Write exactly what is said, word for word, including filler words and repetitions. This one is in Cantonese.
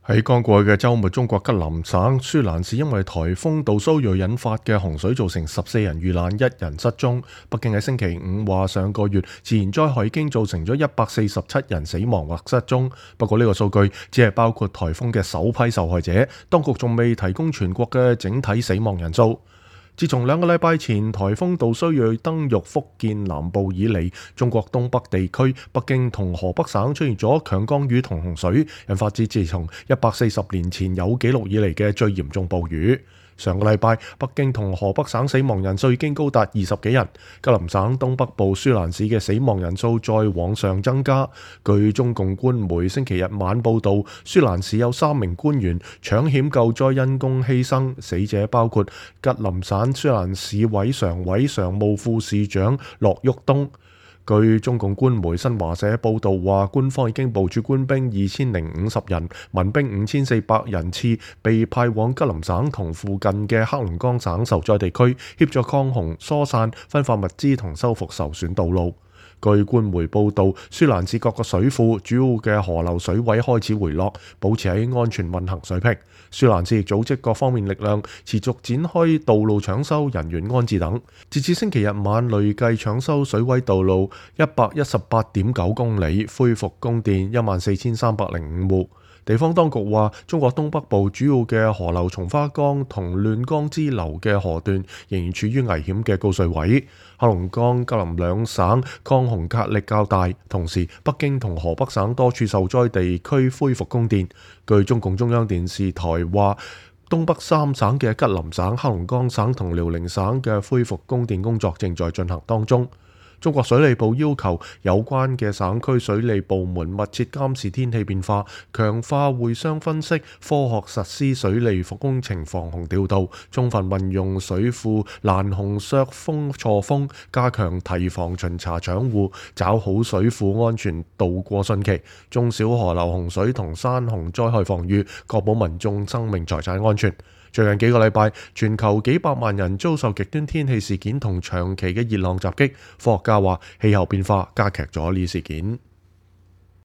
喺剛過去嘅週末，中國吉林省舒蘭市因為颱風杜蘇芮引發嘅洪水造成十四人遇難，一人失蹤。北京喺星期五話，上個月自然災害已經造成咗一百四十七人死亡或失蹤。不過呢個數據只係包括颱風嘅首批受害者，當局仲未提供全國嘅整體死亡人數。自從兩個禮拜前颱風杜蘇芮登陸福建南部以嚟，中國東北地區北京同河北省出現咗強降雨同洪水，引發至自從一百四十年前有記錄以嚟嘅最嚴重暴雨。上個禮拜，北京同河北省死亡人數已經高達二十幾人，吉林省東北部舒蘭市嘅死亡人數再往上增加。據中共官媒星期日晚報導，舒蘭市有三名官員搶險救災因公犧牲，死者包括吉林省舒蘭市委常委、常務副市長駱旭東。據中共官媒新華社報導話，官方已經部署官兵二千零五十人、民兵五千四百人次，被派往吉林省同附近嘅黑龍江省受災地區，協助抗洪、疏散、分發物資同修復受損道路。據官媒報導，舒蘭市各個水庫主要嘅河流水位開始回落，保持喺安全運行水平。舒蘭市亦組織各方面力量，持續展開道路搶修、人員安置等。截至星期日晚，累計搶修水位道路一百一十八點九公里，恢復供電一萬四千三百零五戶。地方當局話，中國東北部主要嘅河流松花江同亂江支流嘅河段仍然處於危險嘅高水位。黑龍江、吉林兩省抗洪壓力較大，同時北京同河北省多處受災地區恢復供電。據中共中央電視台話，東北三省嘅吉林省、黑龍江省同遼寧省嘅恢復供電工作正在進行當中。中國水利部要求有關嘅省區水利部門密切監視天氣變化，強化會商分析，科學實施水利工程防洪調度，充分運用水庫攔洪削峰錯峰，加強提防巡查搶護，抓好水庫安全渡過汛期，中小河流洪水同山洪災害防禦，確保民眾生命財產安全。最近幾個禮拜，全球幾百萬人遭受極端天氣事件同長期嘅熱浪襲擊。科學家話，氣候變化加劇咗呢事件。